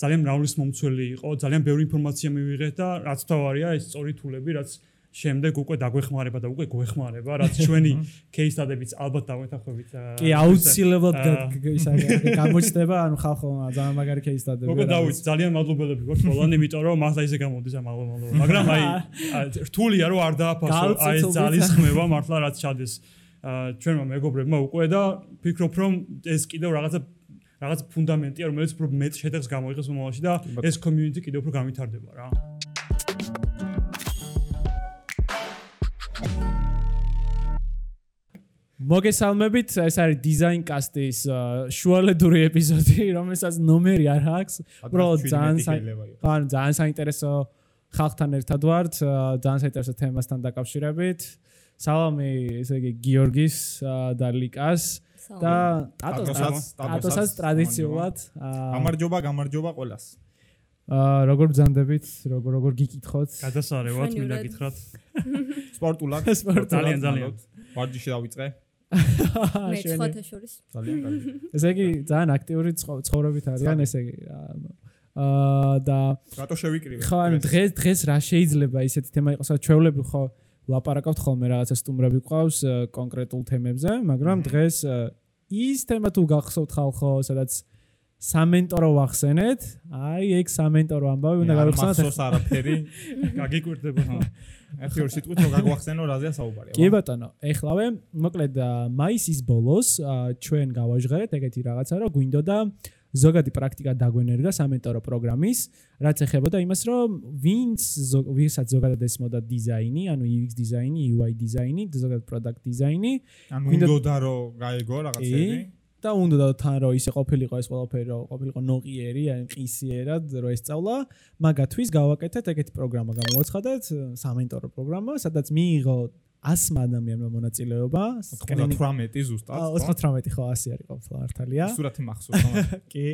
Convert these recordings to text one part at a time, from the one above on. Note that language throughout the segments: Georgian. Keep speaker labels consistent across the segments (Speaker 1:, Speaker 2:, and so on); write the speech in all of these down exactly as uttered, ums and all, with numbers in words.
Speaker 1: ძალიან მრავალისმომცველი იყო, ძალიან ბევრი ინფორმაცია მივიღეთ და რაც თავარია ეს სწორი თულები, რაც შემდეგ უკვე დაგვეხმარება და უკვე გვეხმარება, რაც ჩვენი case study-ებიც ალბათ დავეთანხმებით.
Speaker 2: კი, აუცილებლად ისა გამოჩნდება, ანუ ხალხო ძალიან მაგარი case study-ები.
Speaker 1: უკვე დავით, ძალიან მადლობელები გვაქვს ყველანი, იმიტომ რომ მართლა ისე გამოდის ამ ალბომალო. მაგრამ აი რთულია რომ არ დააფასო აი ეს ძალის ხმება მართლა რაც ჩადეს ჩვენმა მეგობრებმა უკვე და ფიქრობ რომ ეს კიდევ რაღაცა რაღაც ფუნდამენტია, რომელიც უფრო მეტ შედეგს გამოიღებს მომავალში და ეს community კიდევ უფრო გამვითარდება რა.
Speaker 2: მოგესალმებით, ეს არის Design Cast-ის შუალედური ეპიზოდი, რომელსაც ნომერი არ აქვს. უბრალოდ ძალიან ძალიან ძალიან საინტერესო ხალხთან ერთად ვართ, ძალიან საინტერესო თემასთან დაკავშირებით. სალამი, ესე იგი გიორგის და ლიკას და ტატოსაც ტრადიციულად.
Speaker 3: გამარჯობა, გამარჯობა ყველას.
Speaker 2: აა როგორ ბრძანდებით, როგორ როგორ გიკითხოთ?
Speaker 1: გადასარევად მინდა გითხრათ.
Speaker 3: სპორტულად,
Speaker 1: ძალიან ძალიან.
Speaker 3: ვარჯიში დავიწყე.
Speaker 4: მე ცხოვთა შორის.
Speaker 3: ძალიან კარგი.
Speaker 2: ესე იგი ძალიან აქტიური ცხოვრებით არიან, ესე იგი აა და
Speaker 3: რატო შევიკრივე?
Speaker 2: ხო, ანუ დღეს დღეს რა შეიძლება ისეთი თემა იყოს, სადაც ჩვეულებრივ ხო ლაპარაკობთ ხოლმე რაღაცა სტუმრები ყავს კონკრეტულ თემებზე, მაგრამ დღეს ის თემა თუ გახსოვთ ხალხო, სადაც სამენტორო ვახსენეთ, აი ეგ სამენტორო ამბავი უნდა გავიხსენოთ.
Speaker 3: მახსოვს არაფერი,
Speaker 1: გაგიკვირდება.
Speaker 3: ერთი ორი სიტყვით რომ გაგვახსენო რაზეა საუბარი.
Speaker 2: კი ბატონო, ეხლავე, მოკლედ მაისის ბოლოს ჩვენ გავაჟღერეთ ეგეთი რაღაცა, რომ გვინდოდა ზოგადი პრაქტიკა დაგვენერგა სამენტორო პროგრამის, რაც ეხებოდა იმას, რომ ვინც ვისაც ზოგადად ესმოდა დიზაინი, ანუ იუ ექს დიზაინი, იუ აი დიზაინი, ზოგადად პროდუქტ დიზაინი,
Speaker 3: ანუ უნდოდა რომ გაეგო რაღაცები
Speaker 2: და უნდა თან რომ ისე ყოფილიყო ეს ყველაფერი, რომ ყოფილიყო ნოყიერი, აი ყისიერად რომ ესწავლა, მაგათვის გავაკეთეთ ეგეთი პროგრამა, გამოვაცხადეთ სამენტორო პროგრამა, სადაც მიიღო ასმა ადამიანმა მონაწილეობა,
Speaker 3: ოცდათვრამეტი ზუსტად.
Speaker 2: ოცდათვრამეტი ხო ასი არის ყოფილი მართალია.
Speaker 3: სურათი მახსოვს.
Speaker 2: კი,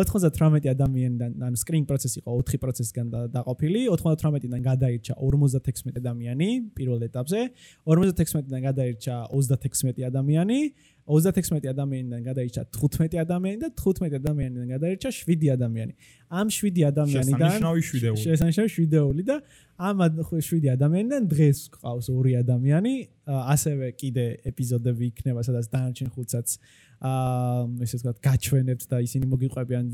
Speaker 2: ოცდათვრამეტი ადამიანიდან, ანუ screen process იყო ოთხი პროცესიდან დაყოფილი, ოცდათვრამეტიდან გადაირჩა ორმოცდათექვსმეტი ადამიანი პირველ ეტაპზე, ორმოცდათექვსმეტიდან გადაირჩა ოცდათექვსმეტი ადამიანი, ოცდათექვსმეტი ადამიანიდან გადაირჩა თხუთმეტი ადამიანი და თხუთმეტი ადამიანიდან გადაირჩა შვიდი ადამიანი. ამ შვიდი ადამიანიდან
Speaker 3: შესანიშნავი შვიდეული.
Speaker 2: შესანიშნავი შვიდეული და ამ შვიდი ადამიანიდან დღეს ყავს ორი ადამიანი, ასევე კიდე ეპიზოდები იქნება, სადაც დანარჩენ ხუთსაც აა ესე ვთქვათ, გაჩვენებთ და ისინი მოგიყვებიან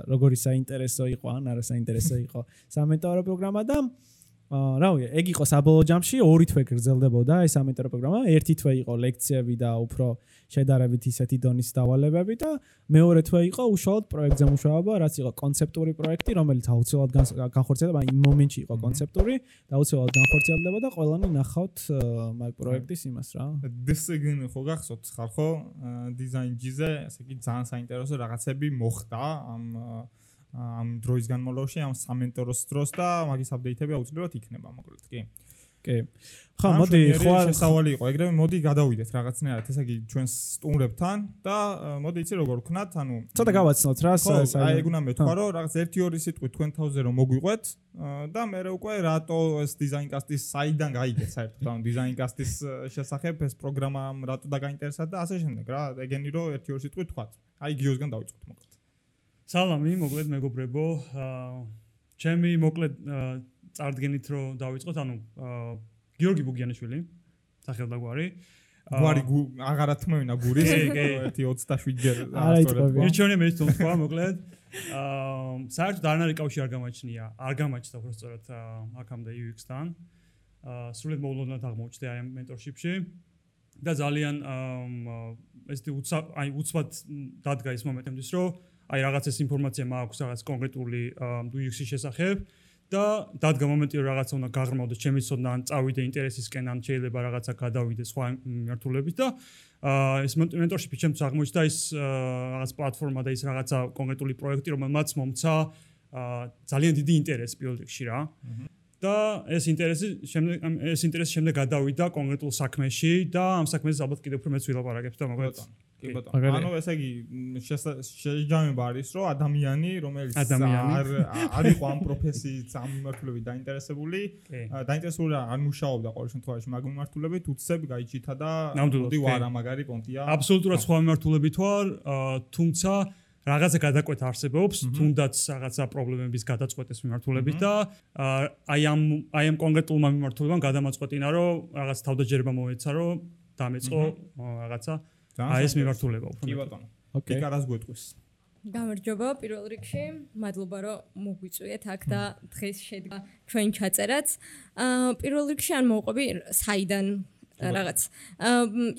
Speaker 2: როგორი საინტერესო იყო ან არა საინტერესო იყო სამენტორო პროგრამა და აა რა ვიცი, ეგ იყო საბოლოო ჯამში ორი თვე გრძელდებოდა ეს სამენტორო პროგრამა, ერთი თვე იყო ლექციები და უფრო შედარებით ისეთი დონის დავალებები და მეორე თვე იყო უშუალოდ პროექტზე მუშაობა, რაც იყო კონცეპტური პროექტი, რომელიც აუცილებლად განხორციელდება, იმ მომენტში იყო კონცეპტური და აუცილებლად განხორციელდება და ყველანი ნახავთ მაგ პროექტის იმას რა.
Speaker 3: დისციპლინა ხო გახსოვთ ხალხო, დიზაინჯიზე, ესე იგი ძალიან საინტერესო რაღაცები მოხდა ამ ამ დროის განმავლობაში, ამ სამენტოროს დროს და მაგის აპდეიტები აუცილებლად იქნება, მოკლედ კი.
Speaker 2: კი. ხო, მოდი, ხო
Speaker 3: შესავალი იყო, ეგრევე მოდი გადავიდეთ რაღაცნაირად, ესე იგი ჩვენ სტუმრებთან და მოდი იცი როგორ ვქნათ, ანუ
Speaker 2: ცოტა გავაცნოთ რა,
Speaker 3: აი ეგ უნდა მეთქვა, რომ რაღაც ერთი ორი სიტყვით თქვენ თავზე რომ მოგვიყვეთ და მე უკვე რატო ეს Design Cast-ის საიდან გაიგეთ საერთოდ, ანუ Design Cast-ის შესახებ ეს პროგრამა რატო დაგაინტერესდა და ასე შემდეგ რა, ეგენი რომ ერთი ორი სიტყვით თქვათ. აი გიოსგან დავიწყოთ მოკლედ.
Speaker 1: სალამი, მოკლედ მეგობრებო, ჩემი მოკლედ წარდგენით რომ დავიწყოთ, ანუ გიორგი ბუგიანიშვილი, სახელდაგვარი.
Speaker 3: გვარი აღარა თმევინა გურის, ერთი ოცდაშვიდ ჯერ ასწორებ.
Speaker 1: მირჩევნია მე თვითონ თქვა, მოკლედ. აა საერთოდ არანაირი კავშირი არ გამაჩნია, არ გამაჩნდა უბრალოდ აქამდე იუ ექს-თან. აა სრულად მოულოდნელად აღმოჩნდა აი ამ მენტორშიპში და ძალიან ესეთი აი უცბად დადგა ის მომენტებიც, რომ აი რაღაც ეს ინფორმაცია მაქვს რაღაც კონკრეტული იუ ექს-ის შესახებ და დადგა მომენტი რომ რაღაცა უნდა გაღრმავდეს ჩემი ცოდნა ან წავიდე ინტერესისკენ ან შეიძლება რაღაცა გადავიდე სხვა მიმართულებით და ეს მენტორშიპი ჩემთვის აღმოჩნდა ის რაღაც პლატფორმა და ის რაღაცა კონკრეტული პროექტი რომელმაც მომცა ძალიან დიდი ინტერესი პირველ რიგში რა და ეს ინტერესი შემდეგ ეს ინტერესი შემდეგ გადავიდა კონკრეტულ საქმეში და ამ საქმეზე ალბათ კიდევ უფრო მეც ვილაპარაკებ და მოკლედ
Speaker 3: კი ბატონო. ანუ ესე იგი შეჯამება არის რომ ადამიანი რომელიც არ არ იყო ამ პროფესიით ამ მიმართულებით დაინტერესებული, დაინტერესებული არ მუშაობდა ყოველ შემთხვევაში მაგ მიმართულებით, უცებ გაიჩითა და მოდი ვარა მაგარი პონტია.
Speaker 1: აბსოლუტურად სხვა მიმართულებით ვარ, თუმცა რაღაცა გადაკვეთა არსებობს, თუნდაც რაღაცა პრობლემების გადაწყვეტის მიმართულებით და აი ამ აი ამ კონკრეტულმა მიმართულებამ გადამაწყვეტინა, რომ რაღაც თავდაჯერება მოეცა, რომ დამეწყო რაღაცა აი ეს მიმართულება უფრო.
Speaker 3: კი ბატონო. ოკეი. კარას გვეტყვის.
Speaker 4: გამარჯობა პირველ რიგში, მადლობა რომ მოგვიწვიეთ აქ და დღეს შედგა ჩვენ ჩაწერაც. აა პირველ რიგში ან მოვყვები საიდან რაღაც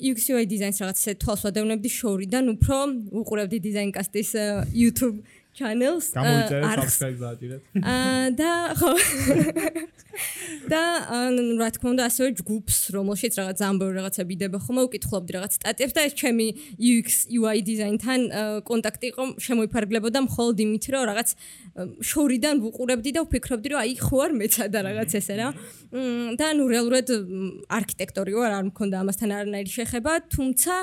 Speaker 4: იუ ექს იუ აი დიზაინს რაღაც ესე თვალს ვადევნებდი შორიდან უფრო უყურებდი დიზაინკასტის YouTube channels
Speaker 3: გამოიწერეთ subscribe დააჭირეთ.
Speaker 4: აა და ხო და რა თქმა უნდა ასევე ჯგუფს რომელშიც რაღაც ამბობ რაღაცა ვიდება ხომ უკითხულობდი რაღაც სტატიებს და ეს ჩემი იუ ექს იუ აი დიზაინთან კონტაქტი იყო შემოიფარგლებოდა მხოლოდ იმით რომ რაღაც შორიდან ვუყურებდი და ვფიქრობდი რომ აი ხო არ მეცადა რაღაც ესე რა და ნუ რეალურად არქიტექტორი ვარ არ მქონდა ამასთან არანაირი შეხება თუმცა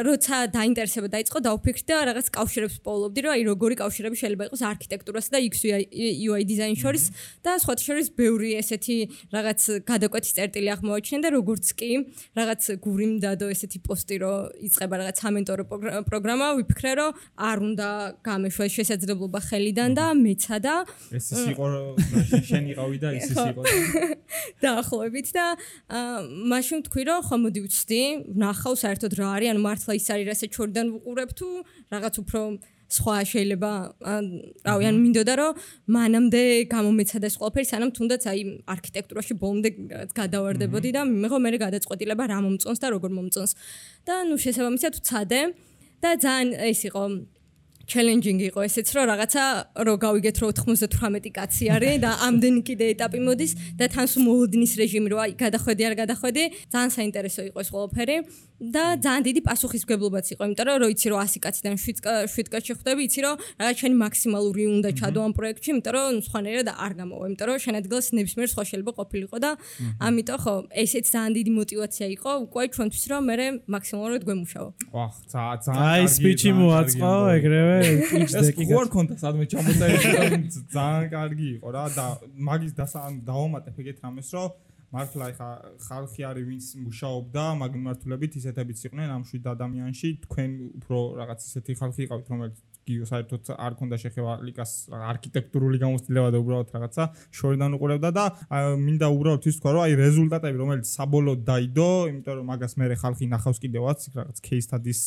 Speaker 4: როცა დაინტერესება დაიწყო დავფიქრდი და რაღაც კავშირებს პოულობდი რომ აი როგორი კავშირები შეიძლება იყოს არქიტექტურასა და იუ ექს იუ აი დიზაინის შორის და სხვათა შორის ბევრი ესეთი რაღაც გადაკვეთის წერტილი აღმოაჩინე და როგორც კი რაღაც გური მდადო ესეთი პოსტი რომ იწყება რაღაც ამენტორო პროგრამა ვიფიქრე რომ არ უნდა გამეშვა შესაძლებლობა ხელიდან და მეცადა
Speaker 3: ეს ის იყო შენ იყავი და ის ის იყო
Speaker 4: დაახლოებით და მაშინ თქვი რომ ხო მოდი ვცდი ვნახავ საერთოდ რა არის ანუ მართლა ის არის რასაც შორიდან ვუყურებ თუ რაღაც უფრო სხვა შეიძლება რავი ან მინდოდა რომ მანამდე გამომეცადა ეს ყველაფერი სანამ თუნდაც აი არქიტექტურაში ბოლომდე გადავარდებოდი და მიღო მე გადაწყვეტილება რა მომწონს და როგორ მომწონს და ნუ შესაბამისად ვცადე და ძალიან ეს იყო challenging იყო ესეც რომ რაღაცა რო გავიგეთ რომ ოთხმოცდათვრამეტი კაცი არის და ამდენი კიდე ეტაპი მოდის და თან სულ მოლოდინის რეჟიმი რო აი გადახვედი არ გადახვედი ძალიან საინტერესო იყო ეს ყველაფერი და ძალიან დიდი პასუხისმგებლობაც იყო იმიტომ რომ რო იცი რომ ასი კაციდან შვიდ კაცი ხვდები იცი რომ რაღაც შენი მაქსიმალური უნდა ჩადო ამ პროექტში იმიტომ რომ სხვანაირად არ გამოვა იმიტომ რომ შენ ადგილას ნებისმიერ სხვა შეიძლება ყოფილიყო და ამიტომ ხო ესეც ძალიან დიდი мотиваცია იყო უკვე ჩვენთვის რომ მე მაქსიმალურად გვემუშაო
Speaker 3: ვახ ძალიან
Speaker 2: აი სპიჩი მოაწყო ეგრევე
Speaker 3: ეს ხო არ ქონდა სადმე ჩამოწერილი ძალიან კარგი იყო რა და მაგის დავამატებ ეგეთ რამეს რომ მართლა ეხა ხალხი არის ვინც მუშაობდა მაგ მიმართულებით ისეთებიც იყვნენ ამ შვიდ ადამიანში თქვენ უფრო რაღაც ისეთი ხალხი იყავით რომელიც გიო საერთოდ არ ქონდა შეხება ლიკას არქიტექტურული გამოცდილება და უბრალოდ რაღაცა შორიდან უყურებდა და მინდა უბრალოდ ის თქვა რომ აი რეზულტატები რომელიც საბოლოოდ დაიდო იმიტომ რომ მაგას მე ხალხი ნახავს კიდევაც რაღაც case studies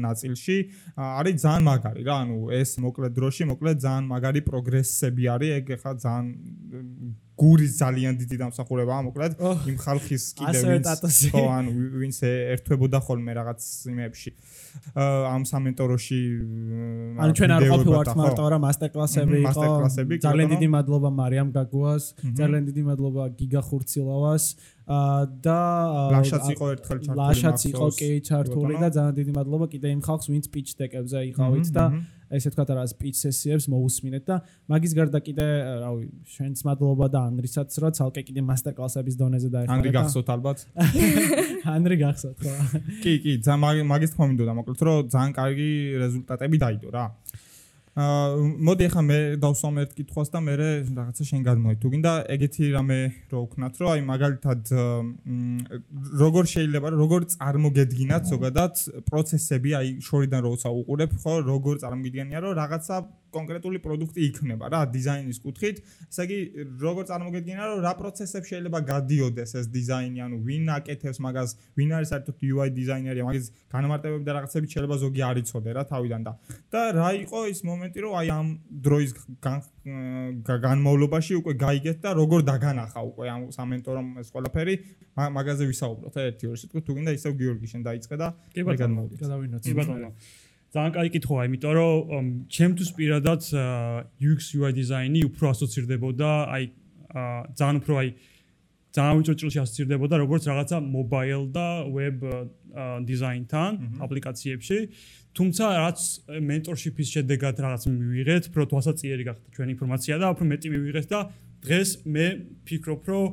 Speaker 3: ნაწილში არის ძალიან მაგარი რა ანუ ეს მოკლე დროში მოკლე ძალიან მაგარი პროგრესები არის ეგ ხა ძალიან გურის ძალიან დიდი დამსახურებაა მოკლედ იმ ხალხის კიდევ ვინც ხო ანუ ვინც ერთვებოდა ხოლმე რაღაც იმებში ამ სამენტოროში
Speaker 2: ანუ ჩვენ არ ყოფილვართ მარტო რა მასტერკლასები იყო ძალიან დიდი მადლობა მარიამ გაგუას ძალიან დიდი მადლობა გიგა ხურცილავას და
Speaker 3: ლაშაც იყო ერთხელ ჩართული
Speaker 2: ლაშაც იყო კი ჩართული და ძალიან დიდი მადლობა კიდე იმ ხალხს ვინც პიჩ დეკებზე იყავით და ესე თქვა რა სპიჩ სესიებს მოусმინეთ და მაგის გარდა კიდე რავი შენც მადლობა და ანდრისაც რა ცალკე კიდე მასტერკლასების დონეზე დაეხმარა
Speaker 3: ანდრი გახსოვთ ალბათ
Speaker 2: ანდრი გახსოვთ ხო
Speaker 3: კი კი ძალიან მაგის თქმა მინდოდა მოკლედ რომ ძალიან კარგი რეზულტატები დაიდო რა აა მოდი ახლა მე დავსვამ ერთ კითხვას და მე რაღაცა შენ გადმოდი თუ გინდა ეგეთი რამე რო ვქნათ რომ აი მაგალითად როგორ შეიძლება როგორ წარმოგედგინათ ზოგადად პროცესები აი შორიდან როცა უყურებ ხო როგორ წარმოგიდგენია რომ რაღაცა კონკრეტული პროდუქტი იქნება რა დიზაინის კუთხით ესე იგი როგორ წარმოგედგენა რომ რა პროცესები შეიძლება გადიოდეს ეს დიზაინი ანუ ვინ აკეთებს მაგას ვინ არის საერთოდ იუ აი დიზაინერი მაგის განმარტებები და რაღაცები შეიძლება ზოგი არ იცოდე რა თავიდან და და რა იყო ის მომენტი რომ აი ამ დროის განმავლობაში უკვე გაიგეთ და როგორ დაგანახა უკვე ამ სამენტორომ ეს ყველაფერი მაგაზე ვისაუბროთ ერთი ორი სიტყვით თუ გინდა ისევ გიორგი შენ დაიწყე და
Speaker 1: მე
Speaker 2: გადავინოთ
Speaker 1: კი ბატონო ძალიან კარგი კითხვაა, იმიტომ რომ ჩემთვის პირადად იუ ექს იუ აი დიზაინი უფრო ასოცირდებოდა, აი ძალიან უფრო აი ძალიან უჭრჭილში ასოცირდებოდა როგორც რაღაცა mobile და web დიზაინთან აპლიკაციებში. თუმცა რაც mentorship-ის შედეგად რაღაც მივიღეთ, უფრო თვალსაჩინო გახდა ჩვენი ინფორმაცია და უფრო მეტი მივიღეთ და დღეს მე ფიქრობ, რომ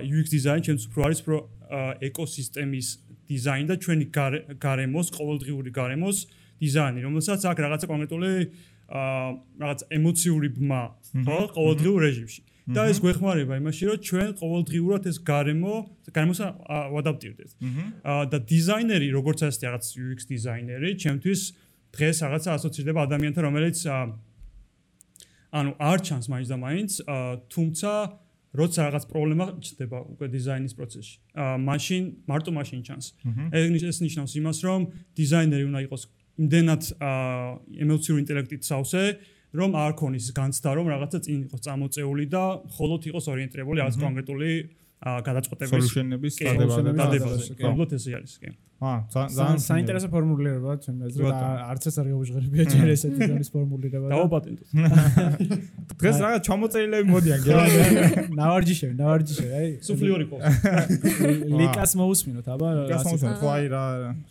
Speaker 1: იუ ექს დიზაინი ჩემთვის უფრო არის უფრო ეკოსისტემის დიზაინი და ჩვენი გარემოს, ყოველდღიური გარემოს დიზაინი, რომელსაც აქვს რაღაცა კონკრეტული რაღაც ემოციური ბმა, ხო, ყოველდღიურ რეჟიმში. და ეს გვეხმარება იმაში, რომ ჩვენ ყოველდღიურად ეს გარემო, გარემოს ვადაპტირდეთ. და დიზაინერი, როგორც ასეთი რაღაც იუ ექს დიზაინერი, ჩემთვის დღეს რაღაცა ასოცირდება ადამიანთან, რომელიც ანუ არ ჩანს მაინც და მაინც, თუმცა როცა რაღაც პრობლემა ჩნდება უკვე დიზაინის პროცესში, მაშინ მარტო მაშინ ჩანს. ეს ნიშნავს იმას, რომ დიზაინერი უნდა იყოს იმდენად ემოციური ინტელექტით სავსე, რომ არ ქონის განცდა, რომ რაღაცა წინ იყოს წამოწეული და მხოლოდ იყოს ორიენტირებული რაღაც კონკრეტული გადაწყვეტების
Speaker 3: სოლუშენების დადებაზე.
Speaker 1: უბრალოდ ესე არის, კი.
Speaker 3: აა,
Speaker 2: ძალიან საინტერესო ფორმულირებაა ჩემი აზრით და არც ეს არ გავუჟღერებია ჯერ ესეთი დონის ფორმულირება.
Speaker 1: დავაპატენტოთ.
Speaker 3: დღეს რაღაც ჩამოწერილები მოდიან, გელა.
Speaker 2: ნავარჯიშები, ნავარჯიშები, აი.
Speaker 1: სუფლიორი ყავს.
Speaker 2: ლიკას მოусმინოთ, აბა.
Speaker 3: ლიკას მოусმინოთ, ხო აი რა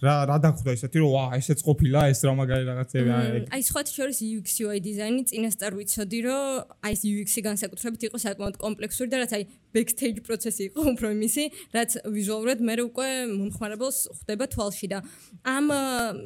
Speaker 3: რა რა დახვდა ისეთი, რომ ვა, ესეც ყოფილა, ეს რა მაგარი რაღაცები აი.
Speaker 4: აი სხვათა შორის იუ ექს იუ აი დიზაინი წინასწარ ვიცოდი, რომ აი ეს იუ ექს-ი განსაკუთრებით იყო საკმაოდ კომპლექსური და რაც აი backstage პროცესი იყო უფრო იმისი, რაც ვიზუალურად მე უკვე მომხმარებელს ხვდება თვალში და ამ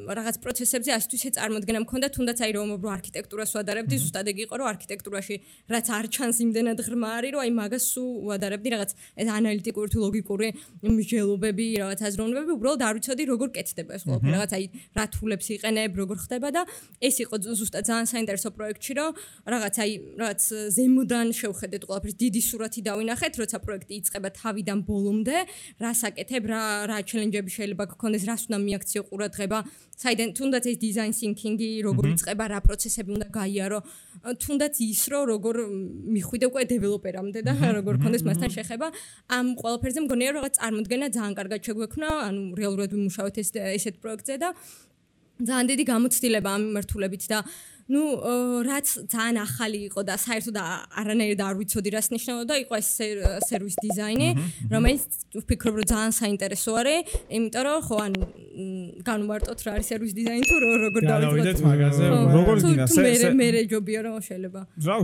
Speaker 4: რაღაც პროცესებზე ასეთვისე წარმოდგენა მქონდა, თუნდაც აი რომ უფრო არქიტექტურას ვადარებდი, ზუსტად ეგ იყო, რომ არქიტექტურაში რაც არ ჩანს იმდენად ღრმა არის, რომ აი მაგას სულ ვადარებდი რაღაც ეს ანალიტიკური თუ ლოგიკური მსჯელობები, რაღაც აზროვნებები, უბრალოდ არ ვიცოდი როგორ კეთდება ეს ყველაფერი, რაღაც აი რა თულებს იყენებ, როგორ ხდება და ეს იყო ზუსტად ძალიან საინტერესო პროექტი, რომ რაღაც აი რაღაც ზემოდან შევხედეთ ყველაფერს, დიდი სურათი დავინახეთ, როცა პროექტი იწყება თავიდან ბოლომდე, რას აკეთებ, რა რა ჩელენჯები შეიძლება გქონდეს, რას უნდა მიაქციო ყურადღება, საიდან თუნდაც ეს დიზაინ თინკინგი როგორ იწყება, რა პროცესები უნდა გაიარო, თუნდაც ის რომ როგორ მიხვიდე უკვე დეველოპერამდე და როგორ გქონდეს მასთან შეხება, ამ ყველაფერზე მგონია რომ რაღაც წარმოდგენა ძალიან კარგად შეგვექნა, ანუ რეალურად ვიმუშავეთ ეს ესეთ პროექტზე და ძალიან დიდი გამოცდილება ამ მიმართულებით და ну, რაც ძალიან ახალი იყო და საერთოდ არანაირად არ ვიცოდი რას ნიშნავდა, იყო ეს სერვის დიზაინი, რომელიც ვფიქრობ რომ ძალიან საინტერესო არის, იმიტომ რომ ხო ანუ განვარტოთ რა არის სერვის დიზაინი თუ როგორ დავიწყოთ
Speaker 2: მაგაზე,
Speaker 3: როგორ გინდა
Speaker 4: მე მე რეჯობია რომ შეიძლება.
Speaker 3: რა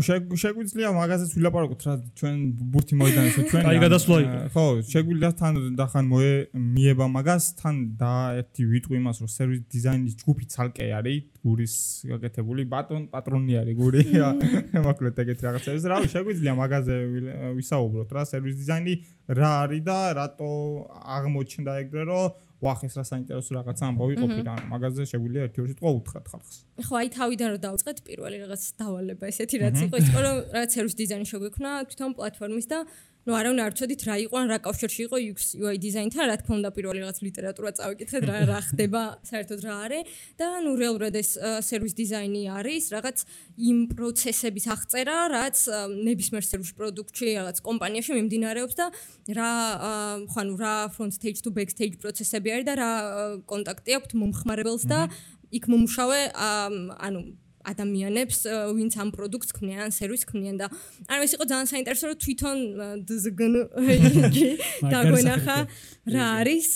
Speaker 3: შეგვიძლია მაგაზეც ვილაპარაკოთ რა ჩვენ ბურთი მოიდანეს ჩვენ.
Speaker 1: აი გადასვლა იყო.
Speaker 3: ხო, შეგვიძლია თან დახან მიება მაგას, თან და ერთი ვიტყვი იმას რომ სერვის დიზაინის ჯგუფი ცალკე არის გურის გაკეთებული ბატონ პატრონი არის გური მოკლედ ეგეთ რაღაცებს რა შეგვიძლია მაგაზე ვისაუბროთ რა სერვის დიზაინი რა არის და რატო აღმოჩნდა ეგრე რომ ვახ ეს რა საინტერესო რაღაც ამბავი ყოფილა მაგაზე შეგვიძლია ერთი ორი სიტყვა უთხრათ ხალხს
Speaker 4: ხო აი თავიდან რომ დავწყეთ პირველი რაღაც დავალება ესეთი რაც იყო ის რომ რაღაც სერვის დიზაინი შეგვექნა თვითონ პლატფორმის და ну არავინ არ ცოდით რა იყო ან რა კავშირში იყო იუ ექს იუ აი დიზაინთან რა თქმა უნდა პირველი რაღაც ლიტერატურა წავიკითხეთ რა რა ხდება საერთოდ რა არის და ну რეალურად ეს სერვის დიზაინი არის რაღაც იმ პროცესების აღწერა რაც ნებისმიერ სერვის პროდუქტში რაღაც კომპანიაში მიმდინარეობს და რა ხო ანუ რა front stage to back stage პროცესები არის და რა კონტაქტი აქვს მომხმარებელს და იქ მომუშავე ანუ ადამიანებს ვინც ამ პროდუქტს ქმნიან, სერვისს ქმნიან და ანუ ეს იყო ძალიან საინტერესო რომ თვითონ ძგნ დაგვენახა რა არის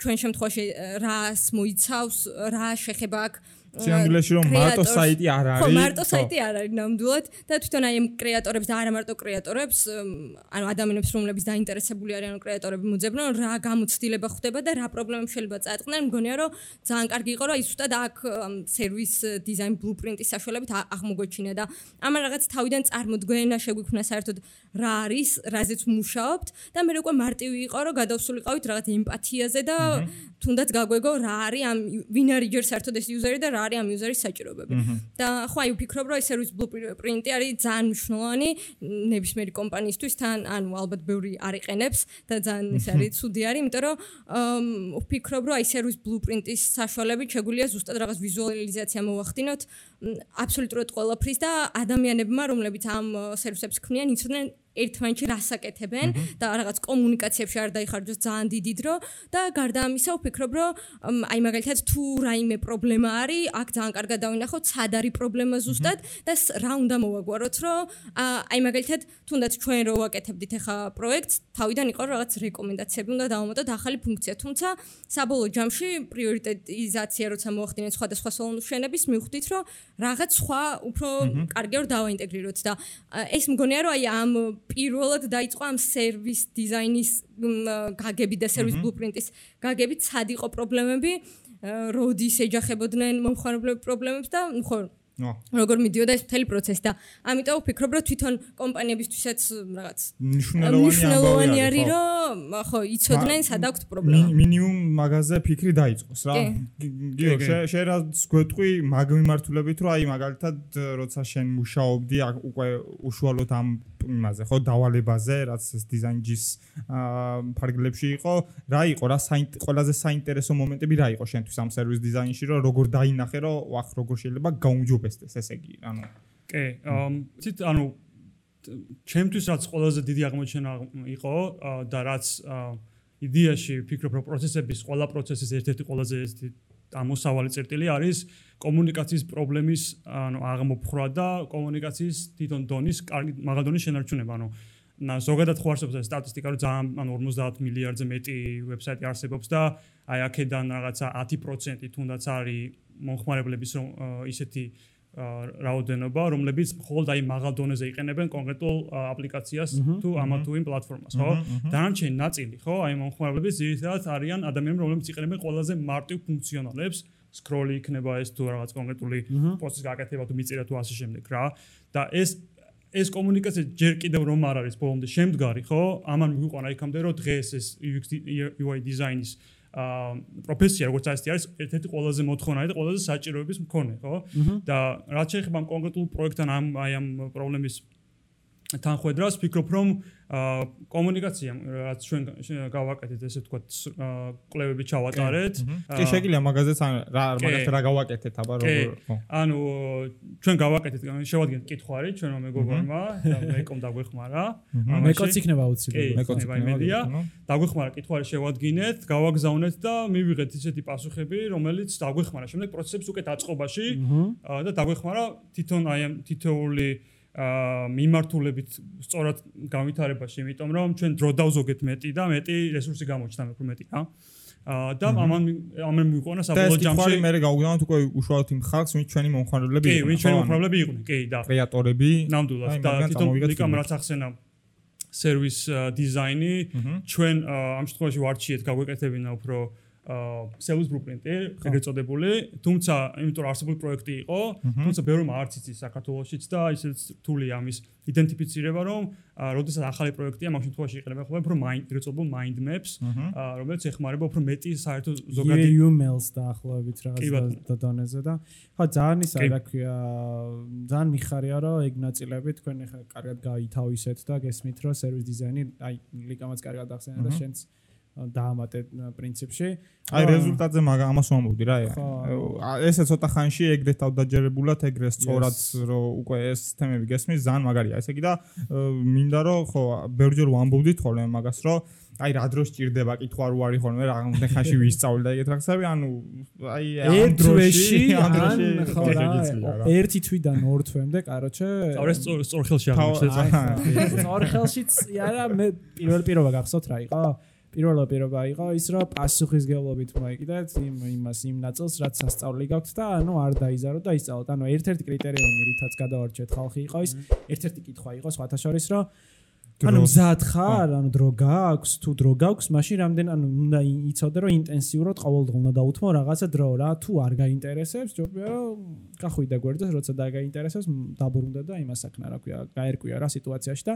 Speaker 4: ჩვენ შემთხვევაში რას მოიცავს, რა შეხება აქვს
Speaker 3: სიამბლეში რომ მარტო საიტი არ არის.
Speaker 4: ხო, მარტო საიტი არ არის ნამდვილად და თვითონ აი ამ კრეატორებს და არა მარტო კრეატორებს, ანუ ადამიანებს რომლებიც დაინტერესებული არიან კრეატორები მოძებნონ, რა გამოცდილება ხდება და რა პრობლემები შეიძლება წააწყდნენ, მგონია რომ ძალიან კარგი იყო რომ ის უბრალოდ აქ სერვის დიზაინ ბლუპრინტის საშუალებით აღმოგვეჩინა და ამან რაღაც თავიდან წარმოდგენა შეგვიქმნა საერთოდ რა არის, რაზეც მუშაობთ და მე უკვე მარტივი იყო რომ გადავსულიყავით რაღაც ემპათიაზე და თუნდაც გაგვეგო რა არის ამ ვინ არის ჯერ საერთოდ ეს იუზერი და რა არის ამ იუზერის საჭიროებები. და ხო აი ვფიქრობ რომ ეს სერვის ბლუპრინტი არის ძალიან მნიშვნელოვანი ნებისმიერი კომპანიისთვის თან ანუ ალბათ ბევრი არ იყენებს და ძალიან ეს არის ცუდი არის, იმიტომ რომ ვფიქრობ რომ აი სერვის ბლუპრინტის საშუალებით შეგვიძლია ზუსტად რაღაც ვიზუალიზაცია მოვახდინოთ აბსოლუტურად ყველაფრის და ადამიანებმა რომლებიც ამ სერვისებს ქმნიან იცოდნენ ერთმანეთში რას აკეთებენ და რაღაც კომუნიკაციებში არ დაიხარჯოს ძალიან დიდი დრო და გარდა ამისა ვფიქრობ რომ აი მაგალითად თუ რაიმე პრობლემა არის აქ ძალიან კარგად დავინახოთ სად არის პრობლემა ზუსტად და რა უნდა მოვაგვაროთ რომ აი მაგალითად თუნდაც ჩვენ რო ვაკეთებდით ახლა პროექტს თავიდან იყო რაღაც რეკომენდაციები უნდა დავამატოთ ახალი ფუნქცია თუმცა საბოლოო ჯამში პრიორიტეტიზაცია როცა მოახდინეთ სხვადასხვა სოლუშენების მივხვდით რომ რაღაც სხვა უფრო კარგია რომ დავაინტეგრიროთ და ეს მგონია რომ აი ამ პირველად დაიწყო ამ სერვის დიზაინის გაგებით და სერვის ბლუპრინტის გაგებით სად იყო პრობლემები როდის ეჯახებოდნენ მომხმარებლების პრობლემებს და ხო როგორ მიდიოდა ეს მთელი პროცესი და ამიტომ ვფიქრობ რომ თვითონ კომპანიებისთვისაც რაღაც
Speaker 3: მნიშვნელოვანი
Speaker 4: არის რომ ხო იცოდნენ სად აქვს პრობლემა
Speaker 3: მინიმუმ მაგაზე ფიქრი დაიწყოს რა გიო შენ რაც გვეტყვი მაგ მიმართულებით რომ აი მაგალითად როცა შენ მუშაობდი უკვე უშუალოდ ამ იმაზე ხო დავალებაზე რაც ეს დიზაინჯის ფარგლებში იყო რა იყო რა ყველაზე საინტერესო მომენტები რა იყო შენთვის ამ სერვის დიზაინში რომ როგორ დაინახე რომ ვახ როგორ შეიძლება გაუმჯობესდეს ესე იგი ანუ
Speaker 1: კი ცით ანუ ჩემთვის რაც ყველაზე დიდი აღმოჩენა იყო და რაც იდეაში ვფიქრობ რომ პროცესების ყველა პროცესის ერთ-ერთი ყველაზე ამოსავალი წერტილი არის კომუნიკაციის პრობლემის ანუ აღმოფხვრა და კომუნიკაციის თვითონ დონის კარგი მაღალი დონის შენარჩუნება ანუ ზოგადად ხო არსებობს ეს სტატისტიკა რომ ძალიან ანუ ორმოცდაათ მილიარდზე მეტი ვებსაიტი არსებობს და აი აქედან რაღაცა ათი პროცენტი თუნდაც არის მომხმარებლების ისეთი რაოდენობა რომლებიც მხოლოდ აი მაღალ დონეზე იყენებენ კონკრეტულ აპლიკაციას თუ ამა თუ იმ პლატფორმას ხო დანარჩენი ნაწილი ხო აი მომხმარებლების ძირითადად არიან ადამიანები რომლებიც იყენებენ ყველაზე მარტივ ფუნქციონალებს სკროლი იქნება ეს თუ რაღაც კონკრეტული პოსტის გაკეთება თუ მიწერა თუ ასე შემდეგ რა და ეს ეს კომუნიკაცია ჯერ კიდევ რომ არ არის ბოლომდე შემდგარი ხო ამან მიყვანა იქამდე რომ დღეს ეს იუ ექს იუ აი დიზაინის პროფესია როგორც ასეთი არის ერთ-ერთი ყველაზე მოთხოვნადი და ყველაზე საჭიროების მქონე ხო და რაც შეეხება ამ კონკრეტულ პროექტთან ამ აი ამ პრობლემის თანხმედრას ვფიქრობ რომ კომუნიკაცია რაც ჩვენ გავაკეთეთ ესე ვთქვათ კვლევები ჩავატარეთ
Speaker 3: კი შეგიძლია მაგაზეც რა მაგას რა გავაკეთეთ აბა როგორ ხო
Speaker 1: ანუ ჩვენ გავაკეთეთ შევადგენთ კითხვარი ჩვენმა მეგობრებმა და მეკომ დაგვეხმარა
Speaker 2: მეკოც იქნება აუცილებლად
Speaker 1: მეკოც იმედია დაგვეხმარა კითხვარი შევადგინეთ გავაგზავნეთ და მივიღეთ ისეთი პასუხები რომელიც დაგვეხმარა შემდეგ პროცესებს უკეთ აწყობაში და დაგვეხმარა თვითონ აი ამ თითოეული აა მიმართულებით სწორად განვითარებაში, იმიტომ რომ ჩვენ დრო დავზოგეთ მეტი და მეტი რესურსი გამოჩნდა უფრო მეტი რა. აა და ამან ამან მიყვანა საბოლოო ჯამში
Speaker 3: მე გავგზავნოთ უკვე უშუალოდ იმ ხალხს, ვინც ჩვენი მომხმარებლები
Speaker 1: იყვნენ. კი, ვინც ჩვენი მომხმარებლები იყვნენ, კი და
Speaker 3: კრეატორები.
Speaker 1: ნამდვილად და თვითონ ლიკამ რაც ახსენა სერვის დიზაინი ჩვენ ამ შემთხვევაში ვარჩიეთ გაგვეკეთებინა უფრო სერვის ბლუპრინტი, ეგრეთ წოდებული, თუმცა იმიტომ რომ არსებული პროექტი იყო, თუმცა ბევრმა არც იცის საქართველოშიც და ისიც რთული ამის იდენტიფიცირება, რომ როდესაც ახალი პროექტია, ამ შემთხვევაში იყენებენ ხოლმე უფრო ეგრეთ წოდებულ mind maps, რომელიც ეხმარება უფრო მეტი საერთო ზოგადი
Speaker 2: იუ ემ ელს დაახლოებით რაღაც დონეზე და ხო ძალიან ისა რა ქვია, ძალიან მიხარია რომ ეგ ნაწილები თქვენ ახლა კარგად გაითავისეთ და გესმით რომ სერვის დიზაინი, აი ლიკამაც კარგად ახსენა და შენც დაამატე პრინციპში.
Speaker 3: აი რეზულტატზე მაგა ამას ვამბობდი რა. ესე ცოტა ხანში ეგრეთ თავდაჯერებულად ეგრე სწორად რომ უკვე ეს თემები გესმის ძალიან მაგარია. ესე იგი და მინდა რომ ხო ბევრჯერ ვამბობდით ხოლმე მაგას რომ აი რა დროს ჭირდება კითხვა რო არის ხოლმე რამდენ ხანში ვისწავლე და ეგეთ რაღაცები ანუ აი ამ დროში ამ დროში
Speaker 2: ხო რა ერთი თვიდან ორ თვემდე კაროჩე
Speaker 1: სწორ სწორ ხელში აღმოჩნდა.
Speaker 2: სწორ ხელშიც არა მე პირველ პირობა გახსოვთ რა იყო? პირველ პირობა იყო ის რომ პასუხისგებლობით მოიგდეთ იმ იმას იმ ნაწილს რაც სასწავლი გაქვთ და ანუ არ დაიზარო და ისწავლოთ. ანუ ერთ-ერთი კრიტერიუმი რითაც გადავარჩეთ ხალხი იყო ის ერთ-ერთი კითხვა იყო სხვათა შორის რომ ანუ მზად ხარ, ანუ დრო გაქვს, თუ დრო გაქვს, მაშინ რამდენ ანუ უნდა იცოდე რომ ინტენსიურად ყოველდღე უნდა დაუთმო რაღაცა დრო რა, თუ არ გაინტერესებს, ჯობია რომ გახვიდე გვერდზე, როცა დაგაინტერესებს, დაბრუნდე და იმას აქნა რა ქვია, გაერკვია რა სიტუაციაში და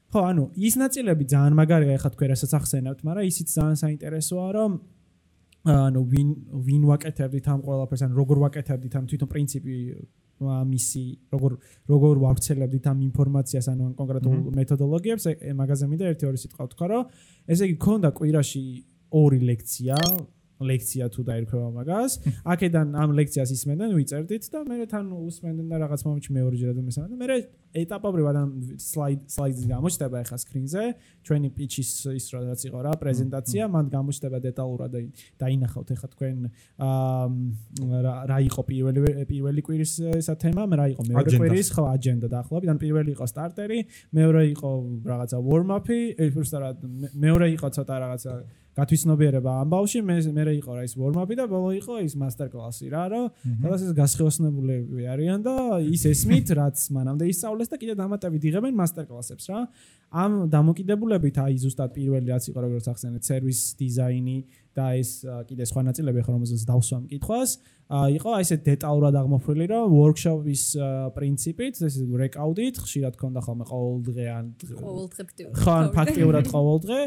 Speaker 2: ხო, ანუ ის ნაწილები ძალიან მაგარია, ეხლა თქვენ რასაც ახსენებთ, მაგრამ ისიც ძალიან საინტერესოა, რომ ანუ ვინ ვინ ვაკეთებდით ამ ყველაფერს, ან როგორ ვაკეთებდით ამ თვითონ პრინციპი მისი, როგორ როგორ ვავრცელებდით ამ ინფორმაციას, ანუ კონკრეტულ მეთოდოლოგიებს, მაგაზე მინდა ერთი-ორი სიტყვა ვთქვა, რომ ესე იგი ქონდა კვირაში ორი ლექცია, ლექცია თუ დაირქვება მაგას, აქედან ამ ლექციას ისმენდნენ, ვიწერდით და მე თან უსმენდნენ და რაღაც მომენტში მეორეჯერად მესამე და მე ეტაპობრივად ამ სლაიდ სლაიდს გამოჩნდება ახლა სკრინზე, ჩვენი პიჩის ის რაც იყო რა, პრეზენტაცია, მან გამოჩნდება დეტალურად და დაინახავთ ახლა თქვენ რა იყო პირველი პირველი კვირის ესა თემა, რა იყო მეორე კვირის, ხო, აჯენდა დაახლოებით, ან პირველი იყო სტარტერი, მეორე იყო რაღაცა warm-up-ი, უბრალოდ მეორე იყო ცოტა რაღაცა გათვისნობიერება ამბავში, მე მე იყო რა ის warm-up-ი და ბოლო იყო ის master-class-ი რა, რომ სადაც ეს გასხეოსნებულები არიან და ის ესმით, რაც მანამდე ისწავლეს და კიდე დამატებით იღებენ master-class-ებს რა. ამ დამოკიდებულებით აი ზუსტად პირველი რაც იყო როგორც ახსენეთ, სერვის დიზაინი და ეს კიდე სხვა ნაწილები ხო რომელზეც დავსვამ კითხვას იყო აი ესე დეტალურად აღმოფრილი რომ workshop-ის პრინციპით ეს რეკაუდით ხშირად ქონდა ხოლმე ყოველდღე ან
Speaker 4: ყოველდღე
Speaker 2: ხო ან ფაქტიურად ყოველდღე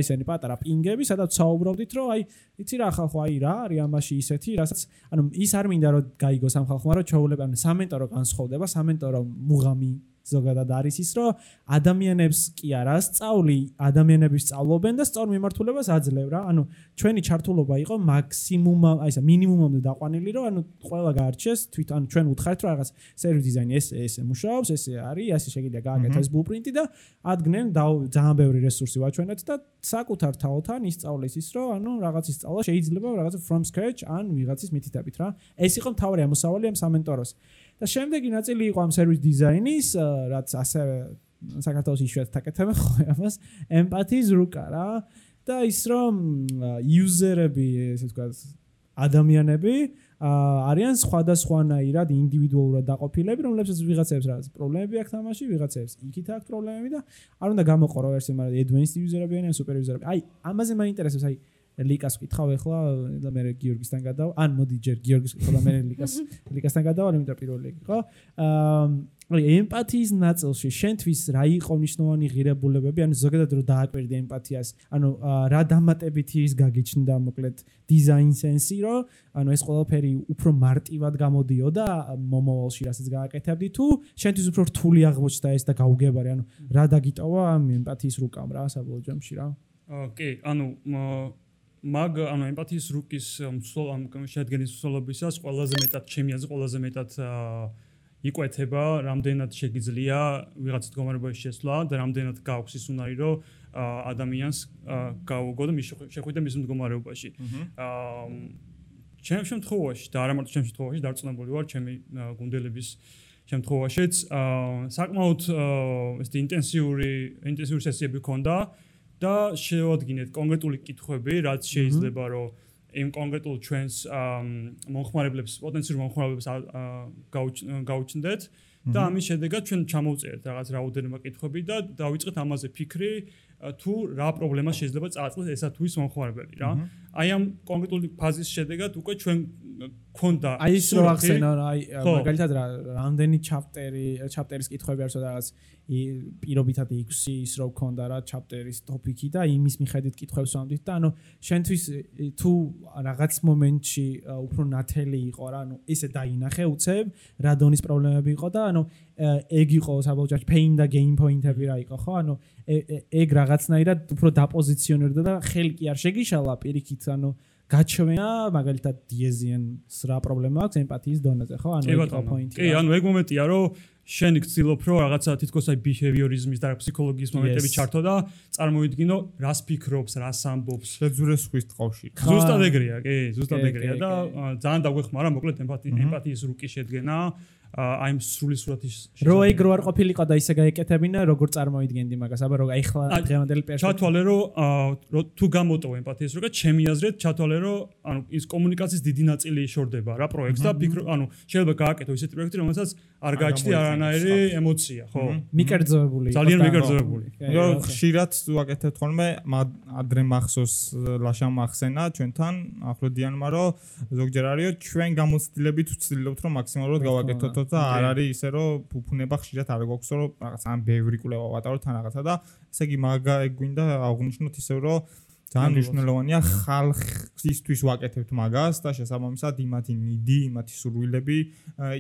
Speaker 2: ისენი პატარა პინგები სადაც საუბრობდით რომ აი იცი რა ხალხო აი რა არის ამაში ისეთი რასაც ანუ ის არ მინდა რომ გაიგოს ამ ხალხმა რომ ჩაულებ ანუ სამენტორო განსხვავდება სამენტორო მუღამი ზოგადად არის ის რომ ადამიანებს კი არა სწავლი ადამიანების სწავლობენ და სწორ მიმართულებას აძლევ რა ანუ ჩვენი ჩართულობა იყო მაქსიმუმ აი ესა მინიმუმამდე დაყვანილი რომ ანუ ყველა გაარჩეს თვითონ ჩვენ უთხართ რომ რაღაც სერვის დიზაინი ეს ეს მუშაობს ეს არის ასე შეგიძლია გააკეთოს ბლუპრინტი და ადგენენ ძალიან ბევრი რესურსი ვაჩვენეთ და საკუთარ თაოთან ისწავლეს ის რომ ანუ რაღაც ისწავლა შეიძლება რაღაც from scratch ან ვიღაცის მითითებით რა ეს იყო მთავარი ამოსავალი ამ სამენტოროს და შემდეგი ნაწილი იყო ამ სერვის დიზაინის, რაც ასევე საქართველოს იშვიათად აკეთებენ ხო ამას, ემპათიის რუკა რა და ის რომ იუზერები, ესე ვთქვათ, ადამიანები არიან სხვადასხვანაირად ინდივიდუალურად დაყოფილები, რომლებსაც ვიღაცებს რაღაც პრობლემები აქვს თამაში, ვიღაცებს იქით აქვს პრობლემები და არ უნდა გამოყო რომ ეს მაგრამ advanced user-ები ან super user-ები. აი, ამაზე მაინტერესებს აი ლიკას ვკითხავ ახლა და მე გიორგისთან გადავალ. ან მოდი ჯერ გიორგის ვკითხავ და მე ლიკას ლიკასთან გადავალ, იმიტომ პირველი იყო. აა ემპათიის ნაწილში შენთვის რა იყო მნიშვნელოვანი ღირებულებები, ანუ ზოგადად რო დააკვირდი ემპათიას, ანუ რა დამატებითი ის გაგიჩნდა მოკლედ დიზაინ სენსი, რომ ანუ ეს ყველაფერი უფრო მარტივად გამოდიოდა მომავალში, რასაც გააკეთებდი თუ შენთვის უფრო რთული აღმოჩნდა ეს და გაუგებარი, ანუ რა დაგიტოვა ამ ემპათიის რუკამ რა საბოლოო ჯამში რა.
Speaker 1: ოკეი, ანუ მაგ ანუ ემპათიის რუკის შედგენის მსვლელობისას ყველაზე მეტად ჩემი აზრით ყველაზე მეტად იკვეთება რამდენად შეგიძლია ვიღაც მდგომარეობაში შესვლა და რამდენად გააქვს ის უნარი რომ ადამიანს გაუგო და შეხვიდე მის მდგომარეობაში. ჩემ შემთხვევაში და არა მარტო ჩემ შემთხვევაში დარწმუნებული ვარ ჩემი გუნდელების შემთხვევაშიც საკმაოდ ეს ინტენსიური ინტენსიური სესიები ქონდა და შევადგინეთ კონკრეტული კითხვები, რაც შეიძლება რომ იმ კონკრეტულ ჩვენს მომხმარებლებს, პოტენციურ მომხმარებლებს გაუჩნდეთ და ამის შედეგად ჩვენ ჩამოვწერთ რაღაც რაოდენობა კითხვები და დავიწყეთ ამაზე ფიქრი თუ რა პრობლემა შეიძლება წააწყდეს ესა თუ ის მომხმარებელი რა. აი ამ კონკრეტული ფაზის შედეგად უკვე ჩვენ ქონდა
Speaker 2: აი ის რო ახსენო აი მაგალითად რამდენი ჩაპტერი ჩაპტერის კითხვები არის რაღაც პირობითად ექვსი ის რო ქონდა რა ჩაპტერის ტოპიკი და იმის მიხედვით კითხვებს ვამდით და ანუ შენთვის თუ რაღაც მომენტში უფრო ნათელი იყო რა ანუ ესე დაინახე უცებ რა დონის პრობლემები იყო და ანუ ეგ იყო საბოლოო pain და gain point-ები რა იყო ხო ანუ ეგ რაღაცნაირად უფრო დაპოზიციონერდა და ხელი კი არ შეგიშალა პირიქით ანუ გაჩვენა მაგალითად დიეზიანს რა პრობლემა აქვს ემპათიის დონეზე ხო ანუ ეგ იყო პოინტი
Speaker 1: კი ანუ ეგ მომენტია რომ შენ გცდილობ რომ რაღაცა თითქოს აი ბიჰევიორიზმის და ფსიქოლოგიის მომენტები ჩართო და წარმოვიდგინო რას ფიქრობს რას ამბობს
Speaker 3: შეძურეს ხვის ტყავში
Speaker 1: ზუსტად ეგრეა კი ზუსტად ეგრეა და ძალიან დაგვეხმარა მოკლედ ემპათიის რუკი შედგენა აი ამ სრული სურათის
Speaker 2: რო ეგ რო არ ყოფილიყო და ისე გაეკეთებინა როგორ წარმოიდგენდი მაგას აბა რო ახლა დღევანდელი პერსპექტივა
Speaker 1: ჩათვალე რომ თუ გამოტოვ ემპათიის რუკა ჩემი აზრით ჩათვალე რომ ანუ ის კომუნიკაციის დიდი ნაწილი შორდება რა პროექტს და ფიქრო ანუ შეიძლება გააკეთო ისეთი პროექტი რომელსაც არ გააჩნია არანაირი ემოცია ხო
Speaker 2: მიკერძოებული
Speaker 1: ძალიან მიკერძოებული
Speaker 3: რომ ხშირად ვაკეთებთ ხოლმე ადრე მახსოვს ლაშა მახსენა ჩვენთან ახლოდიანმა რომ ზოგჯერ არისო ჩვენ გამოცდილებით ვცდილობთ რომ მაქსიმალურად გავაკეთოთ და არ არის ისე რომ ფუფუნება ხშირად არ გვაქვს რომ რაღაც ამ ბევრი კვლევა ვატაროთ თან რაღაცა და ესე იგი მაგა გვინდა აღვნიშნოთ ისე რომ ძალიან მნიშვნელოვანია ხალხისთვის ვაკეთებთ მაგას და შესაბამისად იმათი ნიდი, იმათი სურვილები,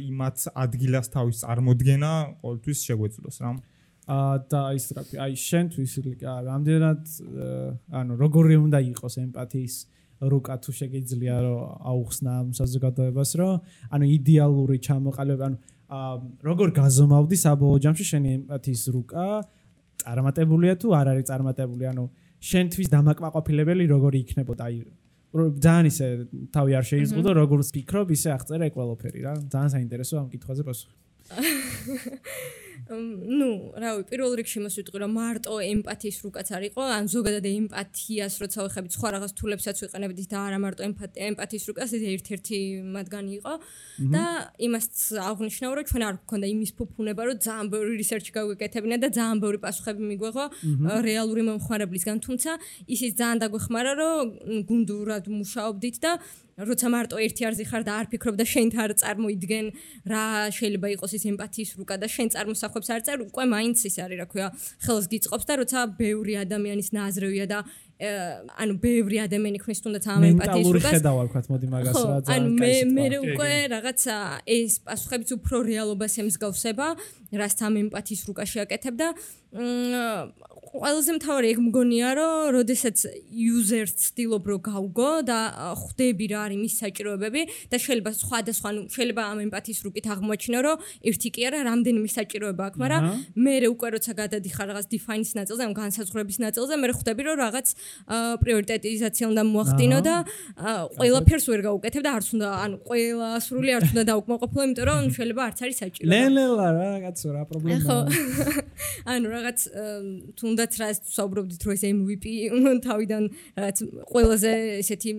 Speaker 3: იმათ ადგილას თავის წარმოდგენა ყოველთვის შეგვეძლოს რა.
Speaker 2: აა და ის რა აი შენთვის რამდენად ანუ როგორი უნდა იყოს ემპათიის რუკა თუ შეგიძლია რომ აუხსნა ამ საზოგადოებას რომ ანუ იდეალური ჩამოყალიბება ანუ როგორ გაზომავდი საბოლოო ჯამში შენი ემპათიის რუკა წარმატებულია თუ არ არის წარმატებული ანუ შენთვის დამაკმაყოფილებელი როგორი იქნებოდა აი ძალიან ისე თავი არ შეიზღუდო როგორც ფიქრობ ისე აღწერე ყველაფერი რა ძალიან საინტერესო ამ კითხვაზე პასუხი
Speaker 4: ну, რავი, პირველ რიგში მას ვიტყვი რომ მარტო ემპათიის რუკაც არ იყო, ან ზოგადად ემპათიას როცა ვეხებით სხვა რაღაც თულებსაც ვიყენებდით და არა მარტო ემპათიის რუკას, ეს ერთ-ერთი მათგანი იყო და იმას აღნიშნავ რომ ჩვენ არ გვქონდა იმის ფუფუნება რომ ძალიან ბევრი რისერჩი გავეკეთებინა და ძალიან ბევრი პასუხები მიგვეღო რეალური მომხმარებლისგან, თუმცა ისიც ძალიან დაგვეხმარა რომ გუნდურად მუშაობდით და როცა მარტო ერთი არზი ხარ და არ ფიქრობ და შენ თარ წარმოიდგენ რა შეიძლება იყოს ის ემპათიის რუკა და შენ წარმოსახვებს არ წერ, უკვე მაინც ის არის, რა ქვია, ხელს გიწყობს და როცა ბევრი ადამიანის ნაზრევია და ანუ ბევრი ადამიანი ქმნის თუნდაც ამ ემპათიის რუკას.
Speaker 2: მენტალური ხედავა ვქოთ, მოდი მაგას რა ძალიან
Speaker 4: ანუ მე მე უკვე რაღაცა ეს პასუხებიც უფრო რეალობას ემსგავსება, რაც ამ ემპათიის რუკაში აკეთებ და ყველაზე მთავარი ეგ მგონია რომ როდესაც user-ს ცდილობ რომ გავგო და ხვდები რა არის მის საჭიროებები და შეიძლება სხვადასხვა ანუ შეიძლება ამ ემპათიის რუკით აღმოაჩინო რომ ერთი კი არა რამდენიმე საჭიროება აქვს, მაგრამ მე უკვე როცა გადადიხარ რაღაც define-ის ნაწილზე, ამ განსაზღვრების ნაწილზე, მე ხვდები რომ რაღაც პრიორიტეტიზაცია უნდა მოახდინო და ყველაფერს ვერ გავუკეთებ და არც უნდა ანუ ყველა სრული არც უნდა დავუკმაყოფილო, იმიტომ რომ შეიძლება არც არის საჭირო.
Speaker 2: ლელელა რა რაღაცა რა პრობლემაა.
Speaker 4: ხო. ანუ რაღაც თუნდაც რა საუბრობდით რომ ეს M V P თავიდან რაღაც ყველაზე ესეთი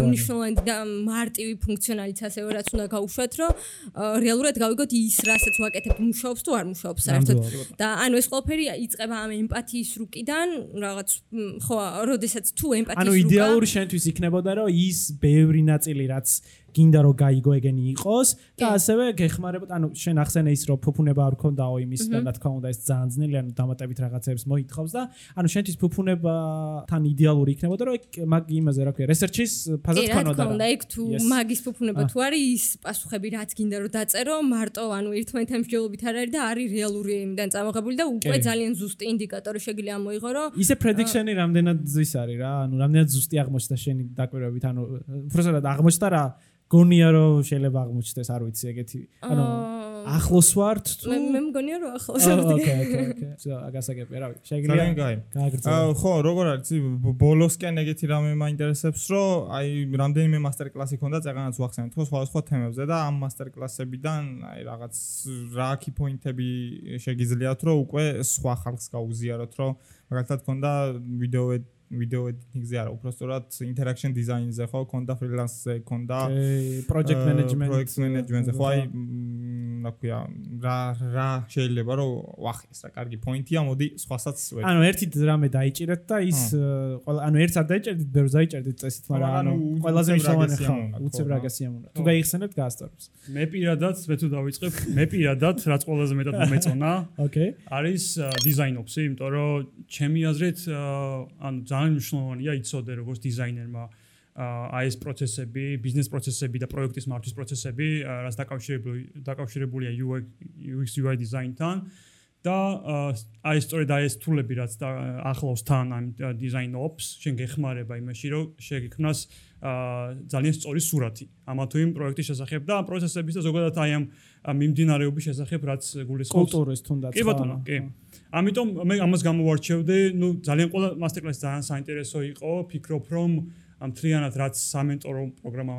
Speaker 4: მნიშვნელოვანი და მარტივი ფუნქციონალიც ასევე რაც უნდა გაუშვათ, რომ რეალურად გავიგოთ ის რასაც ვაკეთებ მუშაობს თუ არ მუშაობს საერთოდ. და ანუ ეს ყველაფერი იწყება ამ ემპათიის რუკიდან, რაღაც ხო, როდესაც თუ ემპათიის რუკა
Speaker 2: ანუ იდეალური შენთვის იქნებოდა რომ ის ბევრი ნაწილი რაც გინდა რომ გაიგო ეგენი იყოს და ასევე გეხმარებოდა ანუ შენ ახსენე ის რომ ფუფუნება არ ქონდაო იმის და რა თქმა უნდა ეს ძალიან ძნელი ანუ დამატებით რაღაცებს მოითხოვს და ანუ შენთვის ფუფუნებათან იდეალური იქნებოდა რომ მაგ იმაზე რა ქვია რესერჩის ფაზად ქონოდა
Speaker 4: რა თქმა უნდა ეგ თუ მაგის ფუფუნება თუ არის ის პასუხები რაც გინდა რომ დაწერო მარტო ანუ ერთმანეთთან მსჯელობით არ არის და არის რეალური იმიდან წამოღებული და უკვე ძალიან ზუსტი ინდიკატორი შეგვიძლია ამოიღო რომ
Speaker 2: ისე პრედიქშენი რამდენად ზის არის რა ანუ რამდენად ზუსტი აღმოჩნდა შენი დაკვირვებით ანუ უბრალოდ აღმოჩნდა რა გონია რომ შეიძლება აღმოჩნდეს არ ვიცი ეგეთი ანუ ახლოს ვართ თუ
Speaker 4: მე მე მგონია რომ ახლოს ვართ
Speaker 2: ოკეი ოკეი ოკეი აგასაგებია რა ვიცი შეიძლება
Speaker 3: გააგრძელო ხო როგორ არის ბოლოსკენ ეგეთი რამე მაინტერესებს რომ აი რამდენიმე მასტერ კლასი ქონდა წეგანაც ვახსენეთ ხო სხვადასხვა თემებზე და ამ მასტერ კლასებიდან აი რაღაც რა კი პოინტები შეგიძლიათ რომ უკვე სხვა ხალხს გაუზიაროთ რომ მაგალითად ქონდა ვიდეო ვიდეო ედიტინგზე არა, უბრალოდ interaction design-ზე ხო, ქონდა freelance-ზე, ქონდა
Speaker 2: project management,
Speaker 3: project management-ზე, ხო აი რა ქვია, რა რა შეიძლება რომ ვახეს რა, კარგი პოინტია, მოდი სხვასაც ვერ.
Speaker 2: ანუ ერთი რამე დაიჭირეთ და ის ყველა ანუ ერთს არ დაიჭერდით, ბევრს დაიჭერდით წესით, მაგრამ ანუ ყველაზე მნიშვნელოვანი ხო, უცებ რა გასიამოვნებთ. თუ გაიხსენებთ გაასწორებს.
Speaker 1: მე პირადად, მე თუ დავიწყებ, მე პირადად რაც ყველაზე მეტად მომეწონა,
Speaker 2: ოკეი.
Speaker 1: არის design-ოფსი, იმიტომ რომ ჩემი აზრით ანუ ძალიან მნიშვნელოვანია იცოდე როგორც დიზაინერმა აი ეს პროცესები, ბიზნეს პროცესები და პროექტის მართვის პროცესები, რაც დაკავშირებული დაკავშირებულია U X U I დიზაინთან და აი სწორედ აი ეს თულები რაც ახლავს თან ამ design ops, შენ გეხმარება იმაში, რომ შეგექმნას ძალიან სწორი სურათი ამა თუ იმ პროექტის შესახებ და ამ პროცესების და ზოგადად აი ამ მიმდინარეობის შესახებ რაც გულისხმობს
Speaker 2: კულტურის თუნდაც
Speaker 1: კი ბატონო, კი. ამიტომ მე ამას გამოვარჩევდი, ნუ ძალიან ყველა მასტერკლასი ძალიან საინტერესო იყო, ფიქრობ რომ ამ თლიანად რაც სამენტორო პროგრამა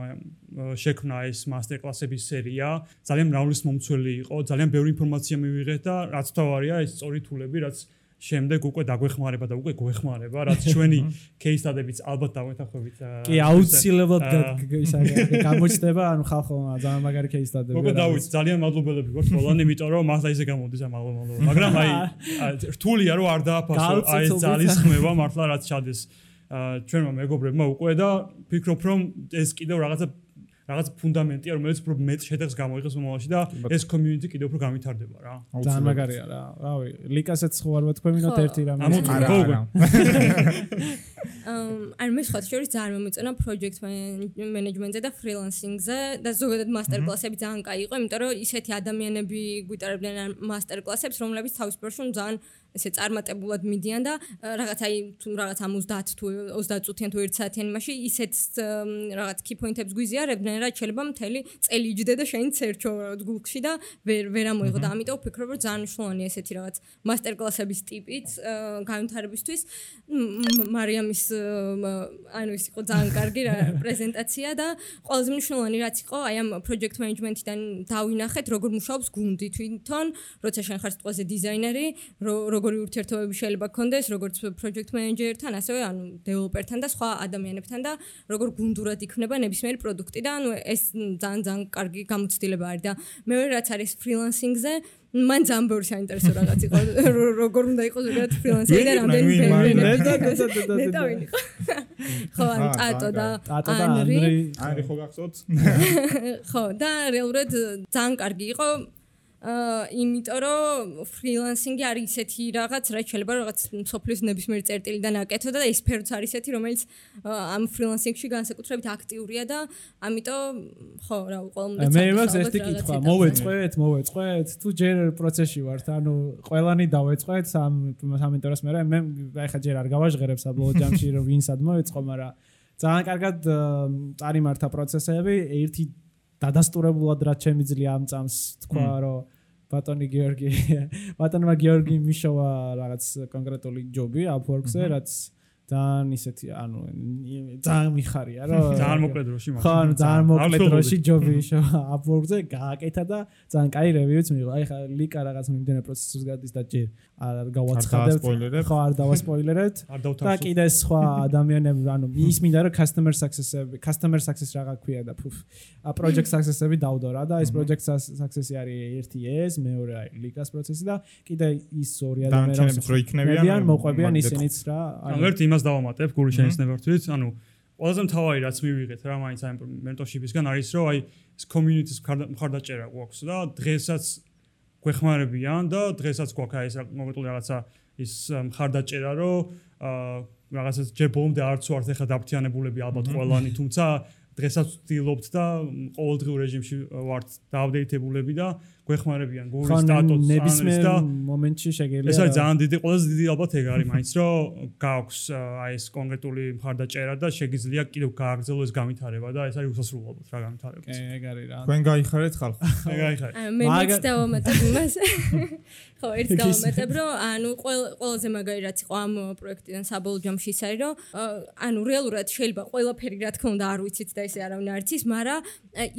Speaker 1: შექმნა ეს მასტერკლასების სერია, ძალიან მრავლის მომცველი იყო, ძალიან ბევრი ინფორმაცია მივიღეთ და რაც თავარია ეს სწორი თულები, რაც შემდეგ უკვე დაგვეხმარება და უკვე გვეხმარება, რაც ჩვენი case study-ებიც ალბათ დავეთანხმებით.
Speaker 2: კი, აუცილებლად გამოჩნდება, ანუ ხალხო ძალიან მაგარი case study-ები.
Speaker 1: მოგა დავით, ძალიან მადლობელები ვართ ყველანი, იმიტომ რომ მართლა ისე გამოდის ამ მადლობა. მაგრამ აი რთულია რომ არ დააფასო აი ეს ძალისხმევა მართლა რაც ჩადეს ჩვენმა მეგობრებმა უკვე და ფიქრობ რომ ეს კიდევ რაღაცა რაღაც ფუნდამენტია, რომელიც უფრო მეტ შედეგს გამოიღებს მომავალში და ეს community კიდევ უფრო გავითარდება რა.
Speaker 2: ძალიან მაგარია რა. რავი, ლიკასაც ხო არ ვეთქვემინოთ ერთი რამე.
Speaker 1: არა, არა.
Speaker 4: ან მე სხვა შორის ძალიან მომეწონა project management-ზე და freelancing-ზე და ზოგადად master-კლასები ძალიან კაი იყო, იმიტომ რომ ისეთი ადამიანები გვიტარებდნენ master-კლასებს, რომლებიც თავის პროფესიონ ძალიან ესე წარმატებულად მიდიან და რაღაც აი თუ რაღაც ამ ოცდაათ თუ ოცდაათ წუთიან თუ ერთ საათიან იმაში ისეთ რაღაც key point-ებს გვიზიარებდნენ რა შეიძლება მთელი წელი იჯდე და შენ ცერჩო გულში და ვერ ვერ ამოიღო და ამიტომ ვფიქრობ რომ ძალიან მნიშვნელოვანია ესეთი რაღაც მასტერ-კლასების ტიპით განვითარებისთვის მარიამის ანუ ის იყო ძალიან კარგი პრეზენტაცია და ყველაზე მნიშვნელოვანი რაც იყო აი ამ project management-დან დავინახეთ როგორ მუშაობს გუნდი თვითონ როცა შენ ხარ სიტყვაზე დიზაინერი როგორი ურთიერთობები შეიძლება გქონდეს როგორც project manager-თან ასევე ანუ developer-თან და სხვა ადამიანებთან და როგორ გუნდურად იქნება ნებისმიერი პროდუქტი და ანუ ეს ძალიან ძალიან კარგი გამოცდილება არის და მეორე რაც არის freelancing-ზე მან ძალიან ბევრი საინტერესო რაღაც იყო როგორ უნდა იყოს ზოგადად freelancer და რამდენი ბევრი ნეტა ვინ იყო ხო ან ტატო და ანრი
Speaker 3: ანრი ხო გახსოვთ
Speaker 4: ხო და რეალურად ძალიან კარგი იყო აა იმიტომ რომ freelancing-ი არის ისეთი რაღაც რაც შეიძლება რაღაც სოფლის ნებისმიერი წერტილიდან აკეთო და ეს სფეროც არის ისეთი რომელიც ამ freelancing-ში განსაკუთრებით აქტიურია და ამიტომ ხო რა ყველა
Speaker 2: მე მას ეს ტიკითხვა მოვეწყვეთ მოვეწყვეთ თუ ჯერ პროცესში ვართ ანუ ყველანი დავეწყვეთ სამ სამენტოროს მე მე ახლა ჯერ არ გავაჟღერებ საბოლოო ჯამში რომ ვინსად მოვეწყო მაგრამ ძალიან კარგად წარიმართა პროცესები ერთი დადასტურებულად რაც შემიძლია ამ წამს თქვა რომ ბატონი გიორგი ბატონმა გიორგი მიშოვა რაღაც კონკრეტული ჯობი Upwork-ზე რაც ძალიან ისეთი ანუ ძალიან მიხარია რომ
Speaker 1: ძალიან მოკლე დროში
Speaker 2: ხო ძალიან მოკლე დროში ჯობი მიშოვა Upwork-ზე გააკეთა და ძალიან კაი რევიუც მიიღო აი ხა ლიკა რაღაც მიმდინარე პროცესს გადის და ჯერ არ გავაცხადებთ ხო არ დავასპოილერებთ და კიდე სხვა ადამიანები ანუ ის მინდა რომ customer success-ები customer success რა გაქვია და ფუფ project success-ები დავდო რა და ეს project success-ი არის ერთი ეს მეორე აი ლიკას პროცესი და კიდე ის ორი ადამიანი
Speaker 3: რო იქნებიან
Speaker 2: მოყვებიან ისინიც რა
Speaker 1: ანუ ერთ იმას დავამატებ გული შენიშნებართვით ანუ ყველაზე მთავარი რაც მივიღეთ რა მაინც აი mentorship-ისგან არის რომ აი ეს community-ის მხარდაჭერა გვაქვს და დღესაც გვეხმარებიან და დღესაც გვაქვს აი ეს კონკრეტული რაღაცა ის მხარდაჭერა რომ რაღაცა ჯერ ბოლომდე არც ვართ ეხლა დაფრთხიანებულები ალბათ ყველანი თუმცა დღესაც ვცდილობთ და ყოველდღიურ რეჟიმში ვართ დააპდეითებულები და გვეხმარებიან გულის სტატუსს
Speaker 2: ნებისმიერ მომენტში შეგიძლია
Speaker 1: ეს არის ძალიან დიდი ყველაზე დიდი ალბათ ეგ არის მაინც რომ გაქვს აი ეს კონკრეტული მხარდაჭერა და შეგიძლია კიდევ გააგრძელო ეს განვითარება და ეს არის უსასრულო ალბათ რა განვითარება
Speaker 2: ეგ არის რა
Speaker 3: თქვენ გაიხარეთ ხალხი
Speaker 1: ეგ გაიხარეთ
Speaker 4: მე მეც დავამატებ იმას ხო ერთ დავამატებ რომ ანუ ყველაზე მაგარი რაც იყო ამ პროექტიდან საბოლოო ჯამში ის არის რომ ანუ რეალურად შეიძლება ყველაფერი რა თქმა უნდა არ ვიცით და ესე არავინ არ იცის მაგრამ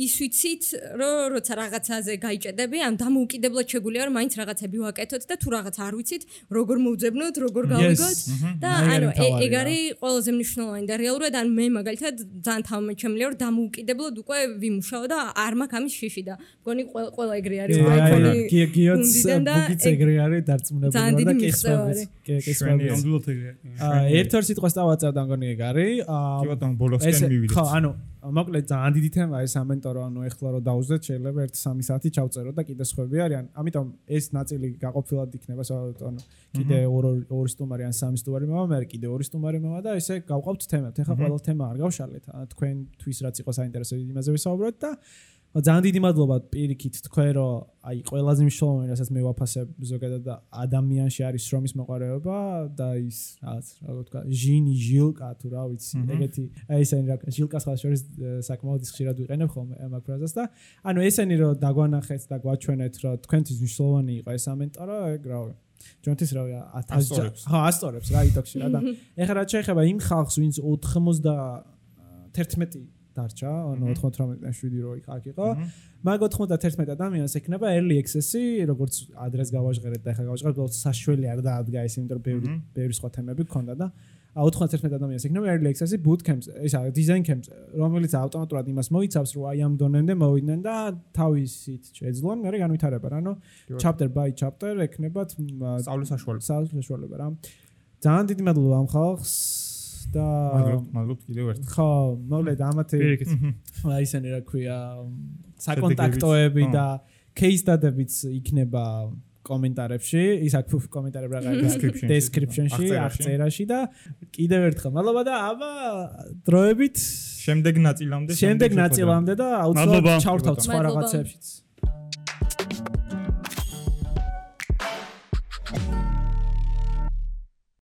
Speaker 4: ის ვიცით რომ როცა რაღაცაზე გაიჭედები ამ დამოუკიდებლად შეგვიძლია რომ მაინც რაღაცები ვაკეთოთ და თუ რაღაც არ ვიცით როგორ მოვძებნოთ როგორ გავიგოთ და ანუ ეგ არის ყველაზე მნიშვნელოვანი და რეალურად ან მე მაგალითად ძალიან თავმეჩემლია რომ დამოუკიდებლად უკვე ვიმუშაო და არ მაქვს ამის შიში და მგონი ყველა ეგრე არის
Speaker 2: აი გიოც ბუგიც ეგრე არის დარწმუნებული და კესვები კესვები
Speaker 1: ნამდვილად ეგრე
Speaker 2: ერთ ორ სიტყვას დავაწერდა მგონი ეგ არის
Speaker 3: კი ბატონო ბოლოსკენ მივიდეთ
Speaker 2: ხო ანუ მოკლედ ძალიან დიდი თემა ეს ამენტორო ანუ ეხლა რომ დაუძვეთ შეიძლება ერთი სამი საათი ჩავწერო და კიდე სხვები არიან ამიტომ ეს ნაწილი გაყოფილად იქნება ანუ კიდე ორი სტუმარი ან სამი სტუმარი მოვა მე კიდე ორი სტუმარი მოვა და ესე გავყავთ თემებს ეხლა ყველა თემა არ გავშალეთ თქვენთვის რაც იყო საინტერესო იმაზე ვისაუბროთ და ძალიან დიდი მადლობა პირიქით თქვენ რომ აი ყველაზე მნიშვნელოვანი რასაც მე ვაფასებ ზოგადად და ადამიანში არის შრომის მოყარეობა და ის რაღაც რა თქვა ჟინი ჟილკა თუ რა ვიცი ეგეთი აი ესენი რა ჟილკას ხალხს შორის საკმაოდ ხშირად ვიყენებ ხოლმე ამ ფრაზას და ანუ ესენი რომ დაგვანახეთ და გვაჩვენეთ რომ თქვენთვის მნიშვნელოვანი იყო ეს ამენტორო ეგ რა ჯონთვის რა ათასი ხო ასწორებს რა იტოქში რა და ეხლა რა შეიძლება იმ ხალხს ვინც ოთხმოცდაათერთმეტი დარჩა, ანუ ოთხმოცდაათი შვიდი რო იქ იყო. მაგ ოთხმოცდაათერთმეტი ადამიანს ექნება early access-ი, როგორც ადრეს გავაჟღერეთ და ახლა გავაჟღერეთ, უბრალოდ საშველი არ დაადგა ეს, იმიტომ რომ ბევრი ბევრი სხვა თემები გქონდა და ოთხმოცდაათერთმეტი ადამიანს ექნება early access-ი bootcamps, ისა design camps, რომელიც ავტომატურად იმას მოიცავს, რომ აი ამ დონემდე მოვიდნენ და თავისით შეძლონ, მე განვითარება რა, ანუ chapter by chapter ექნებათ
Speaker 3: სწავლის საშუალება.
Speaker 2: სწავლის საშუალება რა. ძალიან დიდი მადლობა ამ ხალხს და
Speaker 3: მადლობთ კიდევ ერთხელ.
Speaker 2: ხო, მოვლედ ამათი აი ისინი რა ქვია საკონტაქტოები და case study-ებიც იქნება კომენტარებში, ის აქ კომენტარები რა გაიგებს description-ში, აღწერაში და კიდევ ერთხელ მადლობა და აბა დროებით
Speaker 3: შემდეგ ნაწილამდე
Speaker 2: შემდეგ ნაწილამდე და აუცილებლად ჩავრთავთ სხვა რაღაცებშიც.